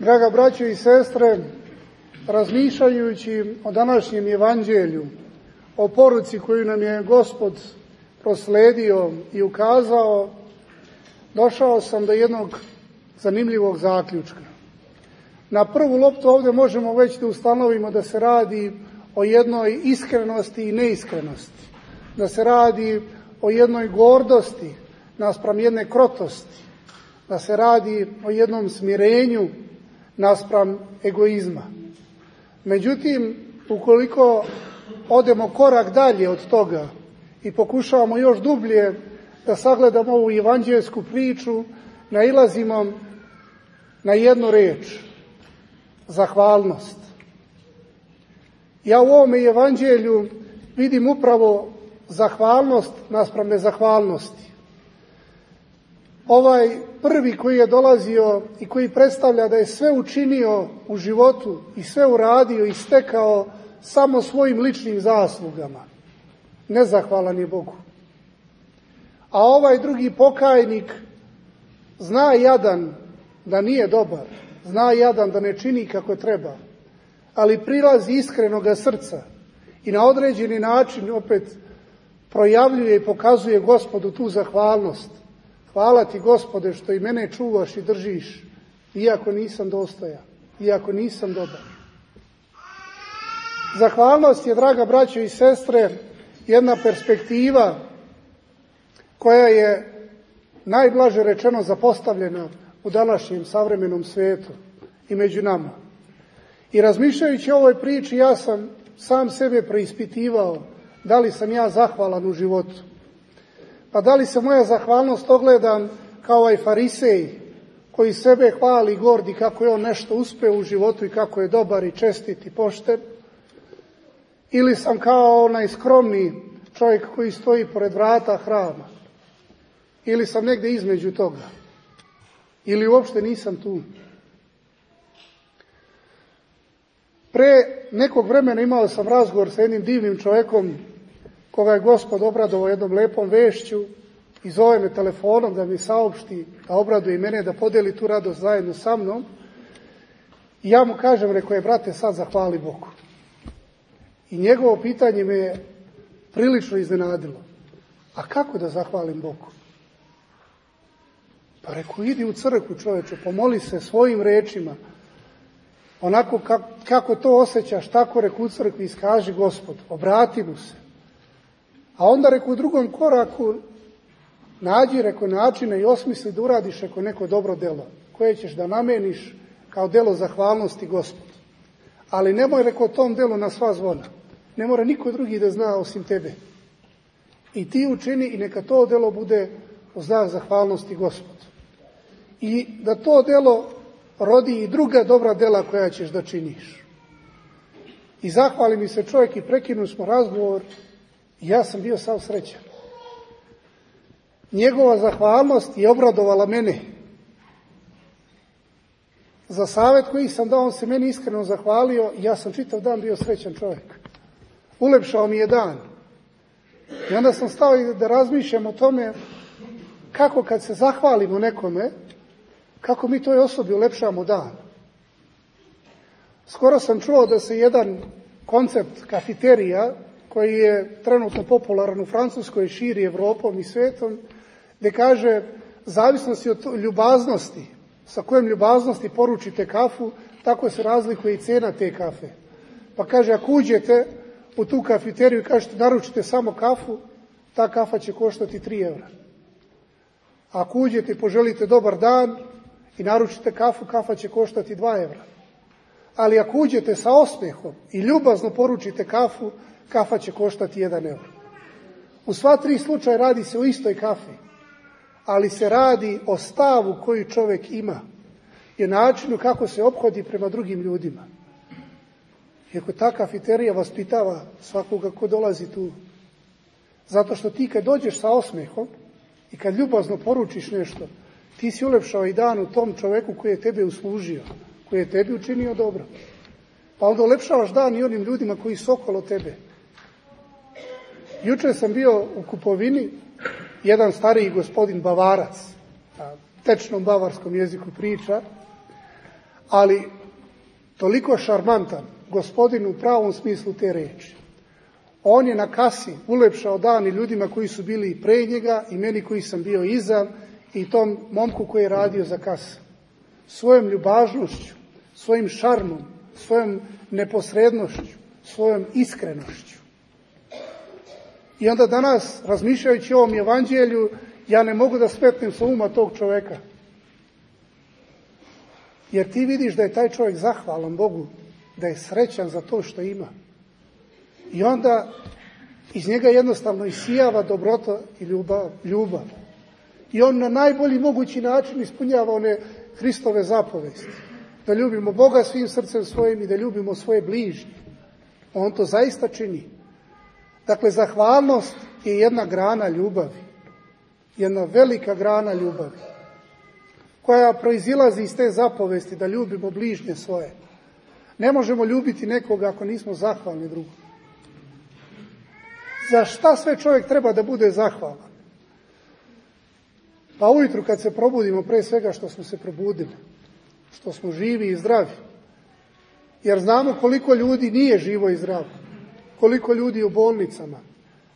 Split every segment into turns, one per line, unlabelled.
Draga braćo i sestre, razmišljajući o današnjem evanđelju, o poruci koju nam je Gospod prosledio i ukazao, došao sam do jednog zanimljivog zaključka. Na prvu loptu ovdje možemo već da ustanovimo da se radi o jednoj iskrenosti i neiskrenosti, da se radi o jednoj gordosti naspram jedne krotosti, da se radi o jednom smirenju naspram egoizma. Međutim, ukoliko odemo korak dalje od toga i pokušavamo još dublje da sagledamo ovu evanđelsku priču, nailazimo na jednu reč: zahvalnost. Ja u ovome evanđelju vidim upravo zahvalnost naspram nezahvalnosti. Ovaj prvi koji je dolazio i koji predstavlja da je sve učinio u životu i sve uradio i stekao samo svojim ličnim zaslugama, nezahvalan je Bogu. A ovaj drugi pokajnik zna jadan da nije dobar, zna jadan da ne čini kako treba, ali prilazi iskrenoga srca i na određeni način opet projavljuje i pokazuje Gospodu tu zahvalnost. Hvala ti, Gospode, što i mene čuvaš i držiš, iako nisam dostojan, iako nisam dobar. Zahvalnost je, draga braćo i sestre, jedna perspektiva koja je najblaže rečeno zapostavljena u današnjem savremenom svijetu i među nama. I razmišljajući o ovoj priči, ja sam sam sebe preispitivao da li sam ja zahvalan u životu. Pa da li se moja zahvalnost ogleda kao ovaj farisej koji sebe hvali i gordi kako je on nešto uspeo u životu i kako je dobar i čestit i pošten, ili sam kao onaj skromni čovjek koji stoji pored vrata hrama, ili sam negdje između toga, ili uopšte nisam tu. Pre nekog vremena imao sam razgovor sa jednim divnim čovjekom koga je Gospod obradovao jednom lepom vešću i zove me telefonom da mi saopšti, da obraduje i mene, da podeli tu radost zajedno sa mnom. I ja mu kažem, rekao je, brate, sad zahvali Bogu. I njegovo pitanje me je prilično iznenadilo. A kako da zahvalim Bogu? Pa rekao, idi u crkvu, čoveče, pomoli se svojim rečima, onako kako to osjećaš, tako rekao u crkvi, iskaži Gospodu, obrati mu se. A onda, rekao, u drugom koraku, nađi, rekao, načine i osmisli da uradiš, rekao, neko dobro delo, koje ćeš da nameniš kao delo zahvalnosti Gospodu. Ali nemoj, rekao, tom delu na sva zvona. Ne mora niko drugi da zna osim tebe. I ti učini i neka to delo bude u znak zahvalnosti Gospodu. I da to delo rodi i druga dobra dela koja ćeš da činiš. I zahvali mi se čovjek i prekinu smo razgovor. Ja sam bio sav srećan. Njegova zahvalnost je obradovala mene. Za savjet koji sam dao, on se meni iskreno zahvalio i ja sam čitav dan bio srećan čovjek. Ulepšao mi je dan. I onda sam stao da razmišljam o tome kako kad se zahvalimo nekome, kako mi toj osobi ulepšamo dan. Skoro sam čuo da se jedan koncept kafiterija koji je trenutno popularan u Francuskoj, širi Evropom i svetom, gdje kaže, zavisnosti od ljubaznosti, sa kojom ljubaznosti poručite kafu, tako se razlikuje i cena te kafe. Pa kaže, ako uđete u tu kafiteriju i kažete, naručite samo kafu, ta kafa će koštati 3 evra. Ako uđete i poželite dobar dan i naručite kafu, kafa će koštati 2 evra. Ali ako uđete sa osmehom i ljubazno poručite kafu, kafa će koštati 1 euro. U sva 3 slučaja radi se o istoj kafi, ali se radi o stavu koji čovjek ima i načinu kako se ophodi prema drugim ljudima. Iako ta kafiterija vaspitava svakoga ko dolazi tu. Zato što ti kad dođeš sa osmehom i kad ljubazno poručiš nešto, ti si ulepšao i dan u tom čovjeku koji je tebe uslužio, koji je tebi učinio dobro. Pa onda ulepšavaš dan i onim ljudima koji su okolo tebe. Jučer sam bio u kupovini, jedan stariji gospodin Bavarac, na tečnom bavarskom jeziku priča, ali toliko šarmantan, gospodin u pravom smislu te reči. On je na kasi ulepšao dan i ljudima koji su bili i pre njega i meni koji sam bio iza i tom momku koji je radio za kas. Svojom ljubaznošću, svojim šarmom, svojom neposrednošću, svojom iskrenošću. I onda danas, razmišljajući o ovom evanđelju, ja ne mogu da smetnem sa uma tog čoveka. Jer ti vidiš da je taj čovjek zahvalan Bogu, da je srećan za to što ima. I onda iz njega jednostavno isijava dobrota i ljubav. I on na najbolji mogući način ispunjava one Hristove zapovesti. Da ljubimo Boga svim srcem svojim i da ljubimo svoje bližnje. On to zaista čini. Dakle, zahvalnost je jedna grana ljubavi. Jedna velika grana ljubavi. Koja proizilazi iz te zapovesti da ljubimo bližnje svoje. Ne možemo ljubiti nekoga ako nismo zahvalni drugom. Za šta sve čovjek treba da bude zahvalan? Pa ujutru kad se probudimo, pre svega što smo se probudili, što smo živi i zdravi. Jer znamo koliko ljudi nije živo i zdravo, koliko ljudi u bolnicama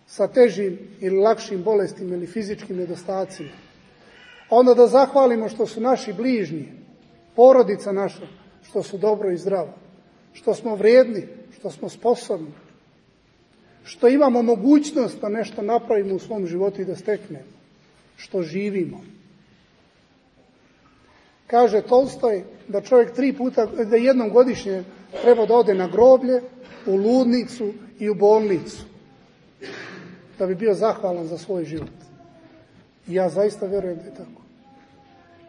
sa težim ili lakšim bolestima ili fizičkim nedostacima. Onda da zahvalimo što su naši bližnji, porodica naša, što su dobro i zdravo, što smo vrijedni, što smo sposobni, što imamo mogućnost da nešto napravimo u svom životu i da steknemo, što živimo. Kaže Tolstoj da čovjek da jednom godišnje treba da ode na groblje, u ludnicu i u bolnicu, da bi bio zahvalan za svoj život. I ja zaista vjerujem da je tako.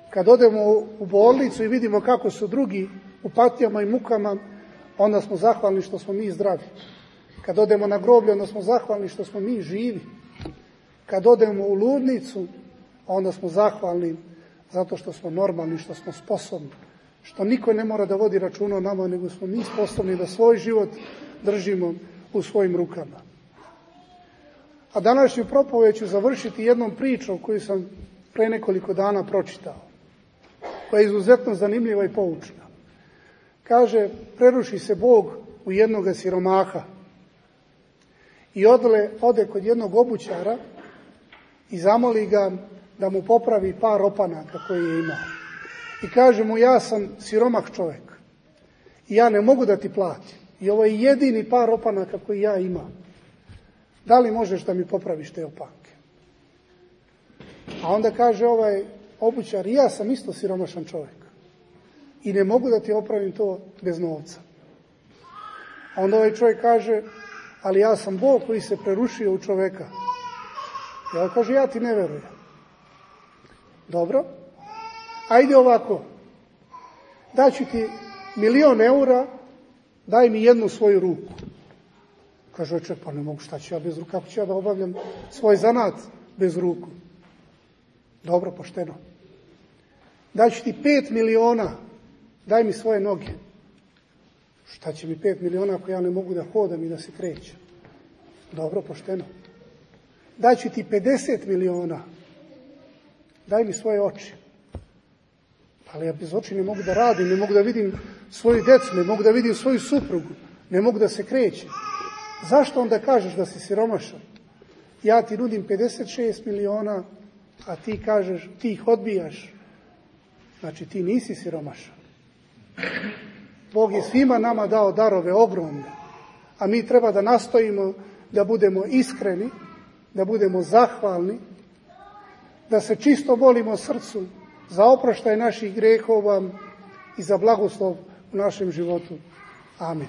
Kad odemo u bolnicu i vidimo kako su drugi u patnjama i mukama, onda smo zahvalni što smo mi zdravi. Kad odemo na groblje, onda smo zahvalni što smo mi živi. Kad odemo u ludnicu, onda smo zahvalni zato što smo normalni, što smo sposobni, što niko ne mora da vodi računa o nama, nego smo mi sposobni da svoj život držimo u svojim rukama. A današnju propoved ću završiti jednom pričom koju sam pre nekoliko dana pročitao, koja je izuzetno zanimljiva i poučna. Kaže, preruši se Bog u jednoga siromaha i ode kod jednog obućara i zamoli ga da mu popravi par opanaka koje je imao. I kaže mu, ja sam siromah čovjek i ja ne mogu da ti platim. I ovo je jedini par opanaka koji ja imam. Da li možeš da mi popraviš te opanke? A onda kaže ovaj obućar, ja sam isto siromašan čovjek i ne mogu da ti opravim to bez novca. A onda ovaj čovjek kaže, ali ja sam Bog koji se prerušio u čovjeka. I on kaže, ja ti ne verujem. Dobro, ajde ovako, daću ti 1.000.000 eura, daj mi jednu svoju ruku. Kaže, pa ne mogu, šta ću ja bez ruku, kako ću ja da obavljam svoj zanat bez ruku? Dobro, pošteno. Daću ti 5 miliona, daj mi svoje noge. Šta će mi 5 miliona ako ja ne mogu da hodam i da se krećem? Dobro, pošteno. Daću ti 50 miliona, daj mi svoje oči. Ali ja bez oči ne mogu da radim, ne mogu da vidim svoju djecu, ne mogu da vidim svoju suprugu, ne mogu da se krećem. Zašto onda kažeš da si siromašan? Ja ti nudim 56 miliona, a ti kažeš, ti ih odbijaš. Znači ti nisi siromašan. Bog je svima nama dao darove ogromne, a mi treba da nastojimo da budemo iskreni, da budemo zahvalni, da se čisto molimo srcu za oproštaj naših grehova i za blagoslov u našem životu. Amen.